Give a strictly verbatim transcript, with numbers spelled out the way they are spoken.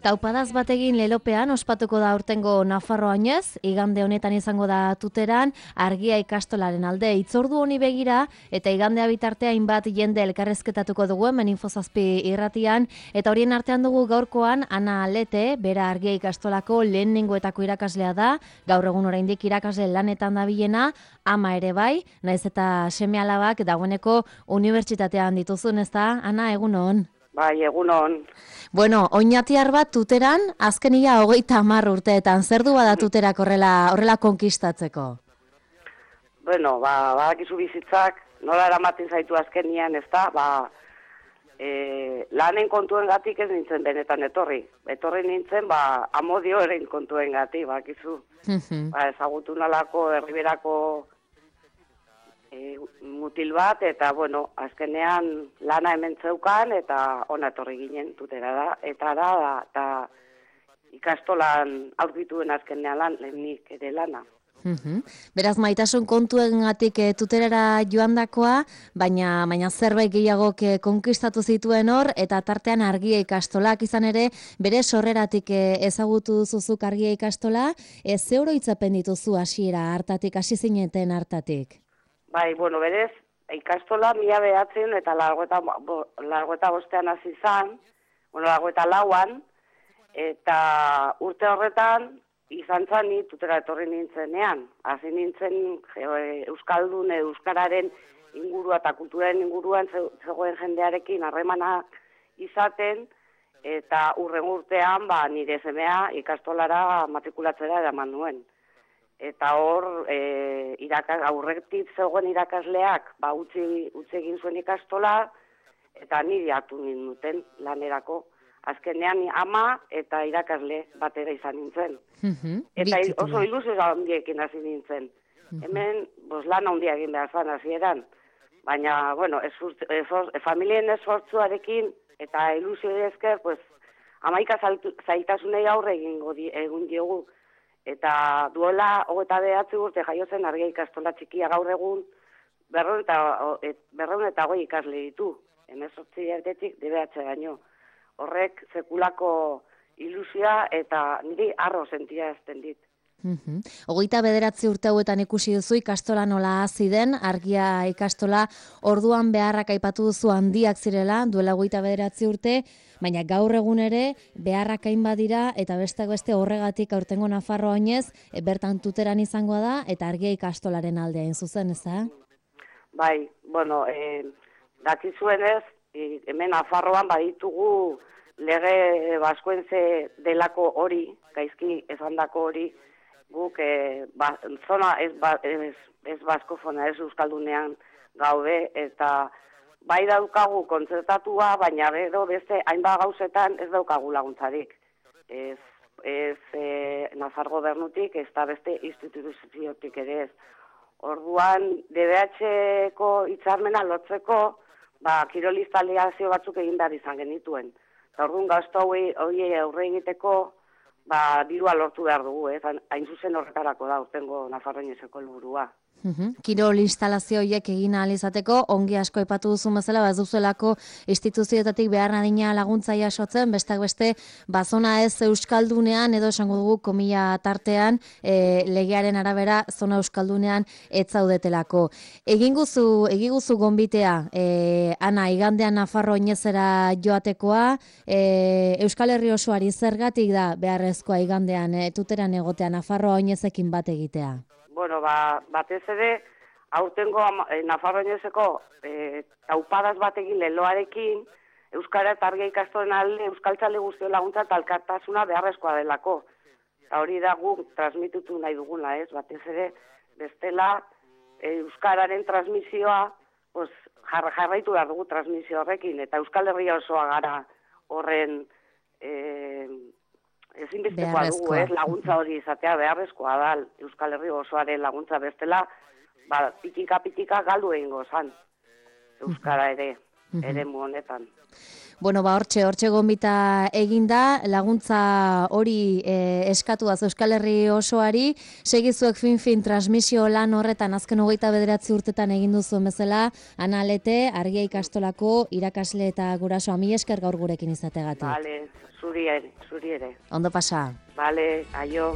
Taupadaz bategin lelopean ospatuko da aurtengo Nafarroainez, igande honetan izango da Tuteran, Argia ikastolaren alde hitzordu honi begira, eta igandea bitartea hainbat jende elkarrezketatuko dugu hemen Infozazpi irratian, eta horien artean dugu gaurkoan Ana Lete, bera Argia ikastolako lehenengoetako irakaslea da, gaur egun oraindik irakasle lanetan dabilena, ama ere bai, naiz eta seme-alabak dagoeneko unibertsitatean dituzun, ezta? Ana, egunon. Bai, egunon. Bueno, oinatiar bat Tuteran, azkenia hogeita hamar urteetan, zer du bada Tuterak horrela, horrela konkistatzeko? Bueno, ba, badakizu bizitzak, nola eramaten zaitu azkenian, ez da, ba, e, lanen kontuen gatik ez nintzen benetan etorri. Etorri nintzen, ba, amodioaren kontuen gatik, badakizu. ba, ezagutu nalako, herriberako e, mutil bat, eta, bueno, azkenean lana hemen zeukan, eta ona etorri ginen Tutera da, eta da, da, eta ikastolan aurkituen azkenean lan, lehenik ere lana. Uhum. Beraz, maitasun kontuengatik e, Tuterara joandakoa, baina baina zerbait gehiagok e, konkistatu zituen hor, eta tartean Argia ikastolak izan ere, bere sorreratik e, ezagutu zuzuk Argia ikastola, e, ze oroitzapen dituzu hasiera hartatik, hasi zineten hartatik? Bai, bueno, berez, ikastola mila behatzen eta largo eta bostean hasi zan, bueno, largo eta lauan, eta urte horretan, izan zan ni Tutera etorri nintzenean. Hasi nintzen Euskaldun, Euskararen ingurua eta kulturaren inguruan zegoen jendearekin harremana izaten, eta urren urtean ba, nire semea ikastolara matrikulatzera eraman nuen. Eta hor, e, irakas, aurretik zegoen irakasleak ba, utzi, utzi egin zuen ikastola, eta niri hartu ninduten lanerako. Azkenean ama eta irakasle batera izan nintzen. Uh-huh. Eta oso ilusio handiekin hasi nintzen. Uh-huh. Hemen, bos, lan handia egin behar zan hasieran. Baina, bueno, esfur, esfur, familien esfortzuarekin eta ilusio esker, pues, amaika zaitasunei aurre egingo di, egun diogu. Eta duela, hogeta behatzi urte jaio zen Argia ikastola txikia gaur egun, berreun eta, berreun eta goi ikasle ditu. Hemezortzi erdetik debeatze gaino. Horrek sekulako ilusia eta niri arro sentia ezten dit. Uhum. Hogeita bederatzi urte hauetan ikusi duzu ikastola nola hasi den, Argia ikastola orduan beharrak aipatu duzu handiak zirela, duela hogeita bederatzi urte, baina gaur egun ere beharrak hainbat dira eta besteak beste horregatik aurtengo Nafarroainez e, bertan Tuteran izangoa da eta Argia ikastolaren alde hain zuzen, ez da? Bai, bueno, eh, dakizuenez, hemen Nafarroan baditugu lege baskoenze delako hori, gaizki esandako hori, guk e, ba, zona ez, ba, ez, ez baskofona, ez euskaldunean gaude, eta bai daukagu kontzertatua, baina bero beste hainbat gauzetan ez daukagu laguntzarik. Ez, ez e, Nafar gobernutik, ez da beste instituziotik ere ez. Orduan, D B H-ko hitzarmena lotzeko, ba, kirolistaliazio batzuk egin behar izan genituen. Eta orduan gazto hori aurre egiteko, ba, dirua lortu behar dugu, ez? Hain zuzen horretarako da, urtengo Nafarroainezeko helburua. Uhum. Kirol instalazio horiek egin ahal izateko, ongi asko aipatu duzu bezala, ba, ez duzuelako instituzioetatik behar nadina laguntza jasotzen, besteak beste, bazona ez euskaldunean, edo esango dugu komila tartean, e, legearen arabera, zona euskaldunean ez zaudetelako. Egin guzu, egin guzu gonbitea, e, Ana, igandean Nafarroainezera joatekoa, e, Euskal Herri osoari zergatik da beharrezkoa igandean, e, Tuteran egotea Nafarroainezekin bat egitea? Bueno, ba, batez ere, aurtengo eh, Nafarroainezeko eh, taupadaz batekin leloarekin, Euskara eta Argia ikastolen alde euskaltzale guztio laguntza eta elkartasuna beharrezkoa delako. Eta hori da guk transmitutu nahi dugula, ez? Batez ere, bestela eh, Euskararen transmisioa, pues, jar, jarraitu behar dugu transmisio horrekin, eta Euskal Herria osoa gara horren eh, ezinbestekoa dugu, ez, laguntza hori izatea beharrezkoa da, Euskal Herri osoaren laguntza bestela, ba, pitika-pitika galdu egingo zan, Euskara ere, ere mu honetan. Bueno, ba, hortxe, hortxe gonbita eginda, laguntza hori e, eskatu da Euskal Herri osoari, segizuek fin-fin transmisio lan horretan azken hogeita bederatzi urtetan egin duzuen bezala, Ana Lete, Argia ikastolako irakasle eta gurasoa, mila esker gaur gurekin izategatik. Vale. zuri ere, zuri ere. Ondo pasa. Bale, aio.